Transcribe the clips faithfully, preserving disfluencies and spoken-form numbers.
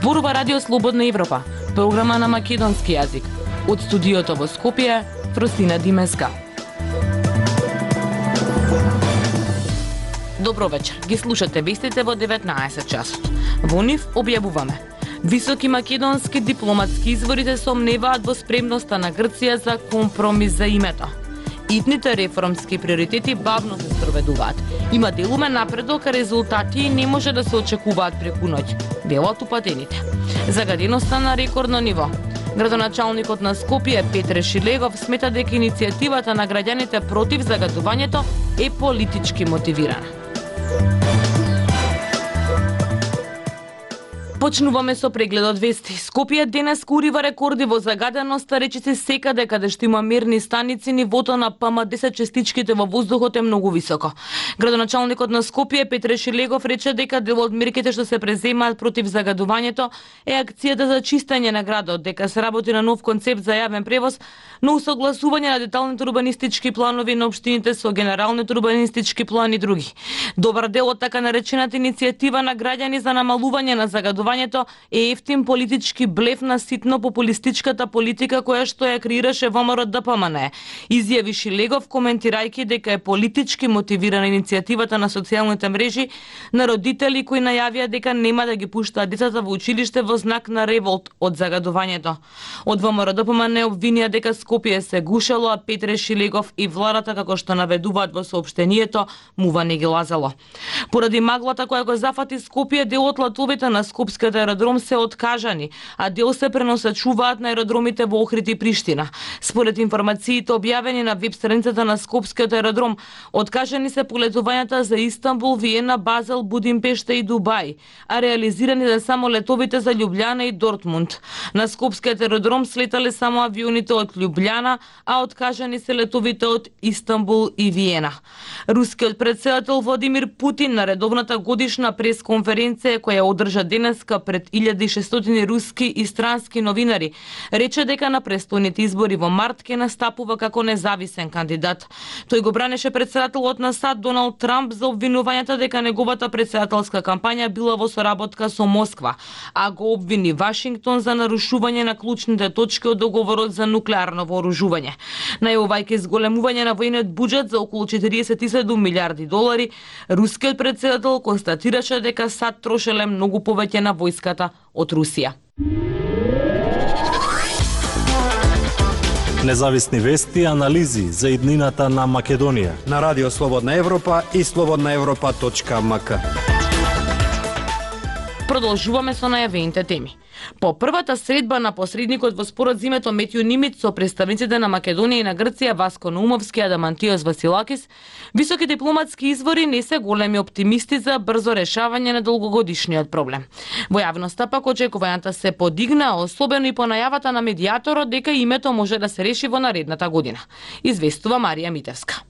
Зборува Радио Слободна Европа, програма на македонски јазик. Од студиото во Скопје, Фросина Димеска. Добро вечер. Ги слушате вестите во деветнаесет часот. Во нив објавуваме: високи македонски дипломатски извори се сомневаат во спремноста на Грција за компромис за името. Итните реформски приоритети бавно се спроведуваат. Има делумен напредок, а резултати не може да се очекуваат преку ноќ, велат упатените. Загаденоста на рекордно ниво. Градоначалникот на Скопје Петре Шилегов смета дека иницијативата на граѓаните против загадувањето е политички мотивирана. Почнуваме со прегледот вести. Скопје денес урива рекорди во загаденост, речиси секаде каде што има мерни станици, нивото на П М десет честичките во воздухот е многу високо. Градоначалникот на Скопје Петре Шилегов рече дека дел од мерките што се преземаат против загадувањето е акцијата за чистење на градот, дека се работи на нов концепт за јавен превоз, но усогласување на деталните урбанистички планови на општините со генералните урбанистички план и други. Добар дел од така наречената иницијатива на граѓани за намалување на загадувањето е ефтин политички блеф на ситно популистичката политика која што ја креираше ВМРО Д П М Н, изјави Шилегов коментирајќи дека е политички мотивирана иницијативата на социјалните мрежи на родители кои најавија дека нема да ги пуштаат децата во училиште во знак на револт од загадувањето. Од ВМРО Д П М Н обвинија дека Скопје се гушело, а Петре Шилегов и владата, како што наведуваат во соопштението, мува не ги лазало. Поради маглата која го зафати Скопје, дел од летовите на Скопскиот аеродром се откажани, а дел се преносачуваат на аеродромите во Охрид и Приштина. Според информациите објавени на веб страницата на Скопскиот аеродром, откажани се полетувањата за Истанбул, Виена, Базел, Будимпешта и Дубај, а реализирани се само летовите за Љубљана и Дортмунд. На Скопскиот аеродром слетале само авионите од Љубљана, а откажани се летовите од Истанбул и Виена. Рускиот претседател Владимир Путин на редовната годишна пресконференција која одржа денеска пред илјади и шестстотини руски и странски новинари, рече дека на престојните избори во март ќе настапува како независен кандидат. Тој го бранеше претседателот на САД Доналд Трамп за обвинувањата дека неговата претседателска кампања била во соработка со Москва, а го обвини Вашингтон за нарушување на клучните точки од договорот за нуклеарно вооружување. Најавувајќи зголемување на војниот буџет за околу четириесет и седум милиарди долари, рускиот претседател констатираше дека САД трошеле многу повеќе на војската од Русија. Независни вести и анализи за иднината на Македонија на Радио Слободна Европа и слободна европа точка м к. Продолжуваме со најавените теми. По првата средба на посредникот во спорот за името Метју Нимиц со представниците на Македонија и на Грција Васко Наумовски и Адамантиос Василакис, високи дипломатски извори не се големи оптимисти за брзо решавање на долгогодишниот проблем. Во јавноста пак очекувањата се подигна, особено и по најавата на медијаторот дека името може да се реши во наредната година. Известува Марија Митевска.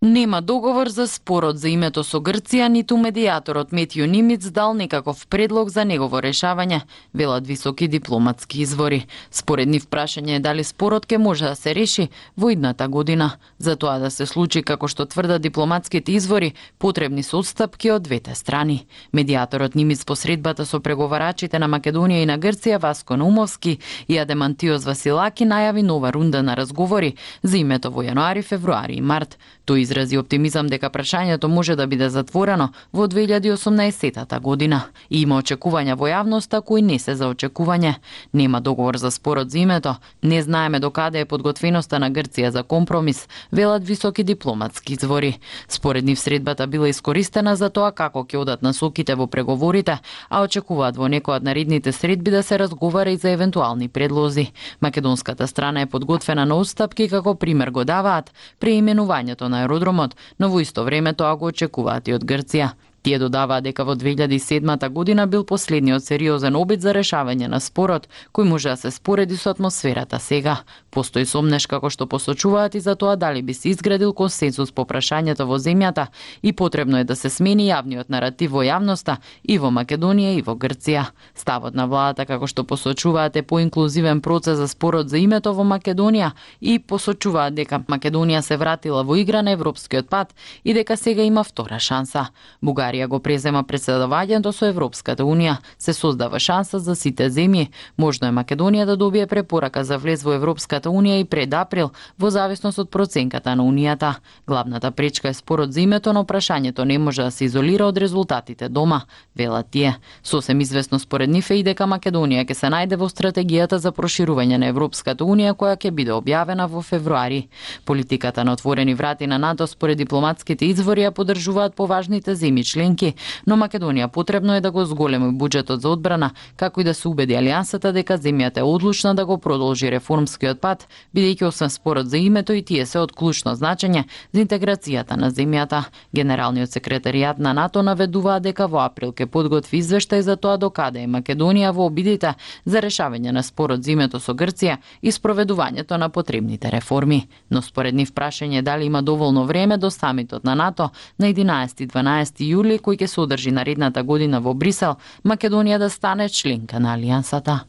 Нема договор за спорот за името со Грција, ниту медијаторот Метју Нимиц дал некаков предлог за негово решавање, велат високи дипломатски извори. Според нив прашање е дали спорот ќе може да се реши во идната година. За тоа да се случи, како што тврдат дипломатските извори, потребни се отстапки од двете страни. Медијаторот Нимиц по средбата со преговарачите на Македонија и на Грција Васко Наумовски и Адамантиос Василаки најави нова рунда на разговори за името во јануари, февруари и март. Тој изрази оптимизам дека прашањето може да биде затворено во две илјади и осумнаесетта година. И има очекувања во јавноста кои не се за очекување. Нема договор за спорот за името, не знаеме докаде е подготвеноста на Грција за компромис, велат високи дипломатски извори. Според нив средбата била искористена за тоа како ќе одат насоките во преговорите, а очекуваат во некоја од наредните средби да се разговара и за евентуални предлози. Македонската страна е подготвена на отстапки, како пример го даваат преименувањето на аеродромот, но во исто време тоа го очекуваат и од Грција. Тие додаваа дека во две илјади и седмата година бил последниот сериозен обид за решавање на спорот, кој може да се спореди со атмосферата сега. Постои сомнеш, како што посочуваат, и за тоа дали би се изградил консенсус по прашањето во земјата и потребно е да се смени јавниот наратив во јавноста и во Македонија и во Грција. Ставот на владата, како што посочуваат, е поинклузивен процес за спорот за името во Македонија и посочуваат дека Македонија се вратила во игра на европскиот пат и дека сега има втора шанса. Бугарија Бугарија го презема претседавањето со Европската унија, се создава шанса за сите земји. Можно е Македонија да добие препорака за влез во Европската унија и пред април, во зависност од проценката на унијата. Главната пречка е спорот за името, но прашањето не може да се изолира од резултатите дома, велат тие. Сосем известно според нив е и дека Македонија ќе се најде во стратегијата за проширување на Европската унија која ќе биде објавена во февруари. Политиката на отворени врати на НАТО според дипломатските извори ја поддржуваат поважните земји членки, но Македонија потребно е да го зголеми буџетот за одбрана, како и да се убеди алијансата дека земјата е одлучна да го продолжи реформскиот пат, бидејќи освен спорот за името и тие се од клучно значење за интеграцијата на земјата. Генералниот секретаријат на НАТО наведува дека во април ќе подготви извештај за тоа докаде е Македонија во обидите за решавање на спорот за името со Грција и спроведувањето на потребните реформи. Но според нив прашање дали има доволно време до самитот на НАТО на единаесети и дванаесети јули кој ќе се одржи наредната година во Брисел, Македонија да стане членка на алијансата.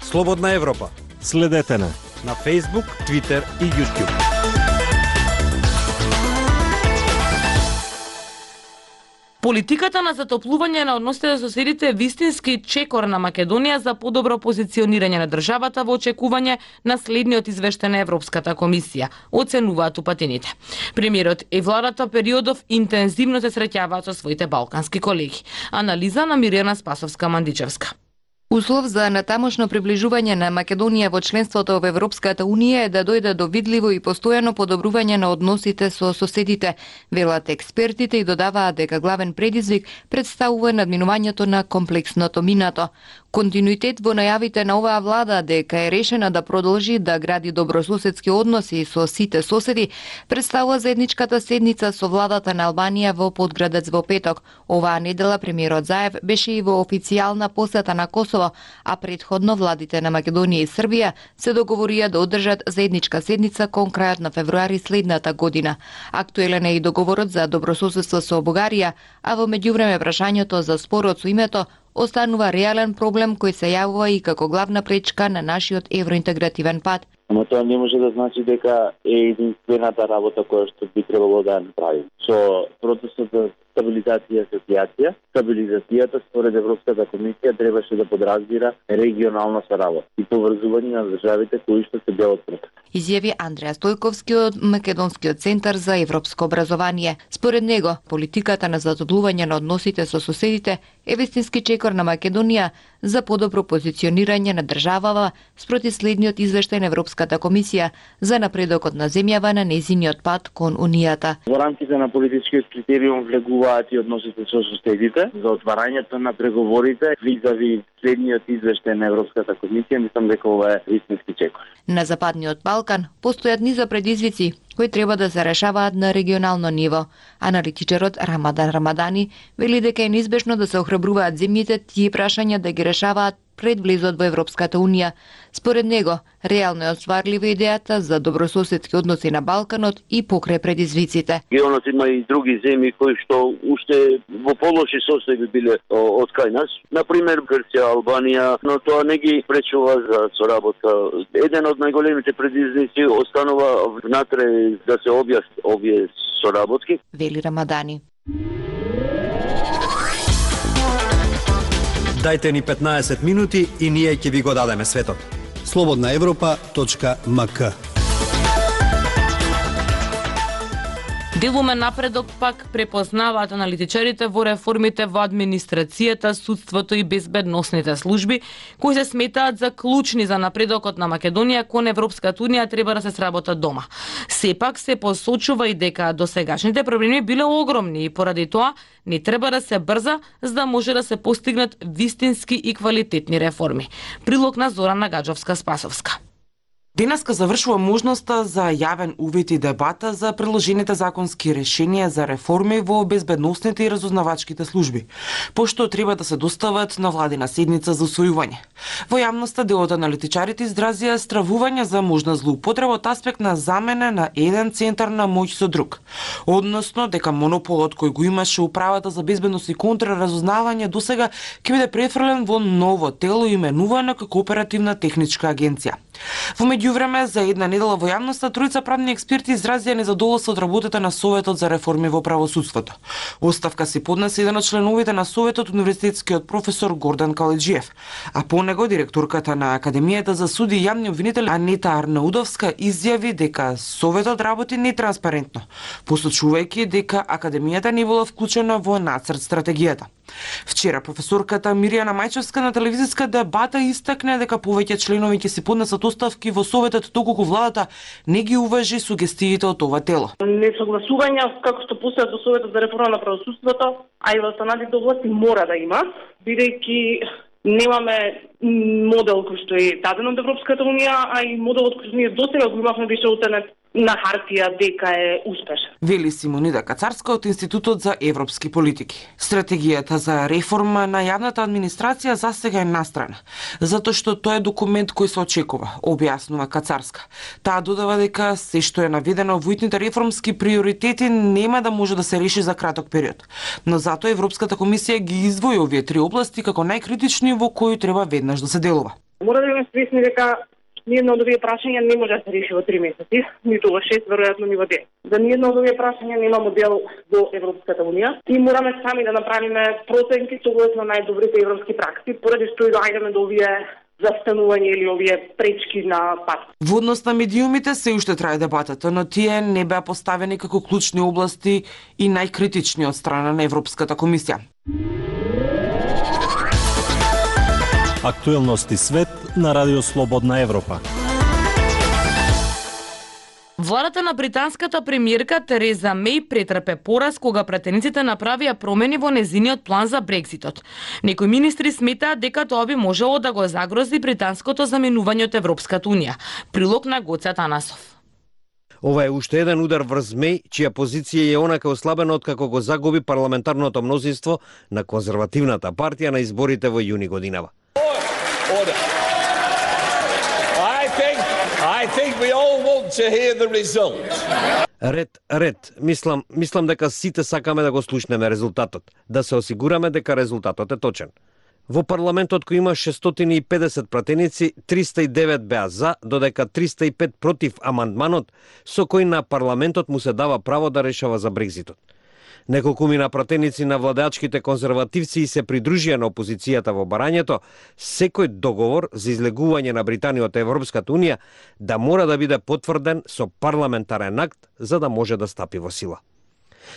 Слободна Европа. Следете на на Facebook, Twitter и YouTube. Политиката на затоплување на односите со соседите е вистински чекор на Македонија за подобро позиционирање на државата во очекување на следниот извештај на Европската комисија, оценуваат упатените. Премиерот и владата периодов интензивно се среќаваат со своите балкански колеги. Анализа на Мирјана Спасовска-Мандичевска. Услов за натамошно приближување на Македонија во членството во Европската унија е да дојде до видливо и постојано подобрување на односите со соседите, велат експертите и додаваат дека главен предизвик представува надминувањето на комплексното минато. Континуитет во најавите на оваа влада дека е решена да продолжи да гради добрососедски односи со сите соседи представува заедничката седница со владата на Албанија во Подградец во петок. Оваа недела премиерот Заев беше и во официјална посета на Косово, а предходно владите на Македонија и Србија се договорија да одржат заедничка седница кон крајот на февруари следната година. Актуелен е и договорот за добрососедство со Бугарија, а во меѓувреме прашањето за спорот со името останува реален проблем кој се јавува и како главна пречка на нашиот евроинтегративен пат. Ама тоа не може да значи дека е единствената работа која што би требало да направим. Со процесот за стабилизација и асоциација, стабилизацијата според Европската комисија требаше да подразбира регионална соработа и поврзување на државите кои што се дел од протоколот. Изјави Андреа Стојковски од Македонскиот центар за европско образование. Според него, политиката на затоплување на односите со соседите е вистински чекор на Македонија за подобро позиционирање на државава спроти следниот извештај на Европската комисија за напредокот на земјава на нејзиниот пат кон Унијата. Во рамките на политичкиот критериум влегуваат и односите со соседите за отварањето на преговорите визави следниот извештај на Европската комисија, мислам дека ова е вистински чекор. На Западниот Балкан постојат низа предизвици кои треба да се решаваат на регионално ниво. Аналитичарот Рамадан Рамадани вели дека е неизбежно да се охрабруваат земјите тие прашања да ги решаваат пред влезот во Европската унија. Според него, реално е остварлива идејата за добрососедски односи на Балканот и покрај предизвиците. Регионот има и други земји кои што уште во полоши состојби биле од кај нас, например Грција, Албанија, но тоа не ги пречува за соработка. Еден од најголемите предизвици останува внатре да се објаснат овие соработки. Вели Рамадани. Дајте ни петнаесет минути и ние ќе ви го дадеме светот. слободна европа точка ем ка. Делумен напредок пак препознаваат аналитичарите во реформите во администрацијата, судството и безбедносните служби, кои се сметаат за клучни за напредокот на Македонија кон Европската унија треба да се сработат дома. Сепак се посочува и дека досегашните проблеми биле огромни и поради тоа не треба да се брза за да може да се постигнат вистински и квалитетни реформи. Прилог на Зорана Гаджовска-Спасовска. Денеска завршува можноста за јавен увид и дебата за предложените законски решенија за реформи во безбедносните и разузнавачките служби, пошто треба да се достават на владина седница за усвојување. Во јавноста дел од аналитичарите изразија стравување за можна злоупотреба од аспект на замена на еден центар на моќ со друг, односно дека монополот кој го имаше управата за безбедност и контраразузнавање досега ќе биде префрлен во ново тело именувано како оперативна техничка агенција. Во меѓу меѓувреме, за една недела во јавноста тројца правни експерти изразија незадоволство од работата на Советот за реформи во правосудството. Оставка си поднесе еден од членовите на Советот, универзитетскиот професор Гордан Каледжиев, а по него директорката на Академијата за суди и јавни обвинители Анита Арнаудовска изјави дека Советот работи нетранспарентно, посочувајќи дека Академијата не била вклучена во нацрт стратегијата. Вчера професорката Мирјана Мајчевска на телевизиска дебата истакне дека повеќе членови ќе си поднесат оставки во Советот доколку владата не ги уважи сугестиите од ова тело. Несогласувања како што постојат во Советот за реформа на правосудството, а и во останатите области мора да има, бидејќи немаме модел кој што е даден од Европската унија, а и моделот кој што ние досега го имавме беше оценет на хартија дека е успешен. Вели Симонида Кацарска од Институтот за европски политики. Стратегијата за реформа на јавната администрација засега е настрана, затоа што тоа е документ кој се очекува, објаснува Кацарска. Таа додава дека се што е наведено во итните реформски приоритети нема да може да се реши за краток период. Но затоа Европската комисија ги издвои овие три области како најкритични во кои треба веднаш да се делува. Мора да имаме свесни дека ниедно од овие прашања не може да се реши во три месеци, ниту во шест, веројатно ни во ден. За ниедно од овие прашања нема модел во Европската унија и мораме сами да направиме проценки согласно најдобрите европски пракси, поради што и доаѓаме до овие застанување или овие пречки на пат. Во однос на медиумите се уште трае дебатата, но тие не беа поставени како клучни области и најкритични од страна на Европската комисија. Актуелности свет на Радио Слободна Европа. Владата на британската премиерка Тереза Меј претрпе пораз кога пратениците направија промени во незиниот план за Брекситот. Некои министри сметаат дека тоа би можело да го загрози британското заменување од Европската унија. Прилог на Гоце Атанасов. Ова е уште еден удар врз Меј, чија позиција е онака ослабена откако го загуби парламентарното мнозинство на конзервативната партија на изборите во јуни годинава. Order. I think, I think we all want to hear the result. Ред, ред. Мислам, мислам дека сите сакаме да го слушнеме резултатот, да се осигураме дека резултатот е точен. Во парламентот кој има шестстотини и педесет пратеници, триста и девет беа за, додека триста и пет против амандманот, со кој на парламентот му се дава право да решава за Брекзитот. Неколкумина пратеници на владеачките конзервативци се придружија на опозицијата во барањето секој договор за излегување на Британија од Европската унија да мора да биде потврден со парламентарен акт за да може да стапи во сила.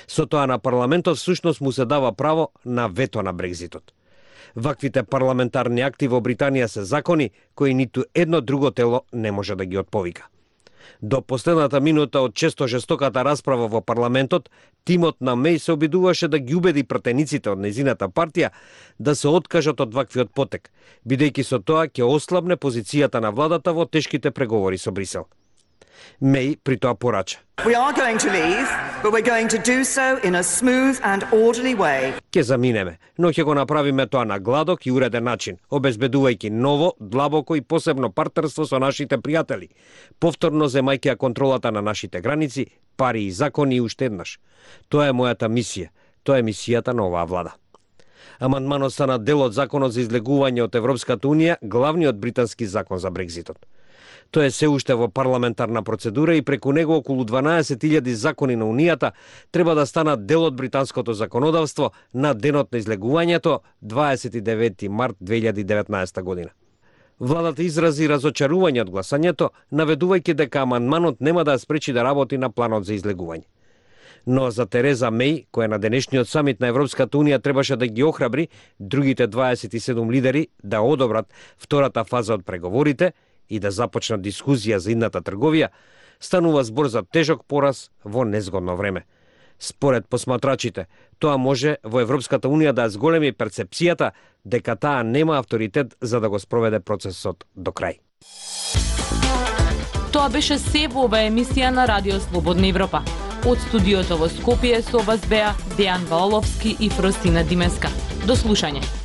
Со тоа на парламентот всушност му се дава право на вето на Брекзитот. Ваквите парламентарни акти во Британија се закони кои ниту едно друго тело не може да ги отповика. До последната минута од често жестоката расправа во парламентот, тимот на Меј се обидуваше да ги убеди пратениците од незината партија да се откажат од ваквиот потек, бидејќи со тоа ќе ослабне позицијата на владата во тешките преговори со Брисел. Меј при тоа порача. We are going to leave, but we're going to do so in a smooth and orderly way. Ке заминеме, но ќе го направиме тоа на гладок и уреден начин, обезбедувајќи ново, длабоко и посебно партнерство со нашите пријатели, повторно земајќи ја контролата на нашите граници, пари и закони и уште еднаш. Тоа е мојата мисија, тоа е мисијата на оваа влада. Амандманот стана дел од законот за излегување од Европската унија, главниот британски закон за Брекзитот. Тоа е се уште во парламентарна процедура и преку него околу дванаесет илјади закони на Унијата треба да станат дел од британското законодавство на денот на излегувањето дваесет и девети март две илјади и деветнаесета година. Владата изрази разочарување од гласањето, наведувајќи дека амандманот нема да ја спречи да работи на планот за излегување. Но за Тереза Меј, која на денешниот самит на Европската унија требаше да ги охрабри другите дваесет и седум лидери да одобрат втората фаза од преговорите и да започнат дискусија за идната трговија, станува збор за тежок пораз во незгодно време. Според посматрачите, тоа може во Европската унија да зголеми перцепцијата дека таа нема авторитет за да го спроведе процесот до крај. Тоа беше се во оваа емисија на Радио Слободна Европа. Од студиото во Скопје со вас беа Дејан Валовски и Фростина Димеска. До слушање.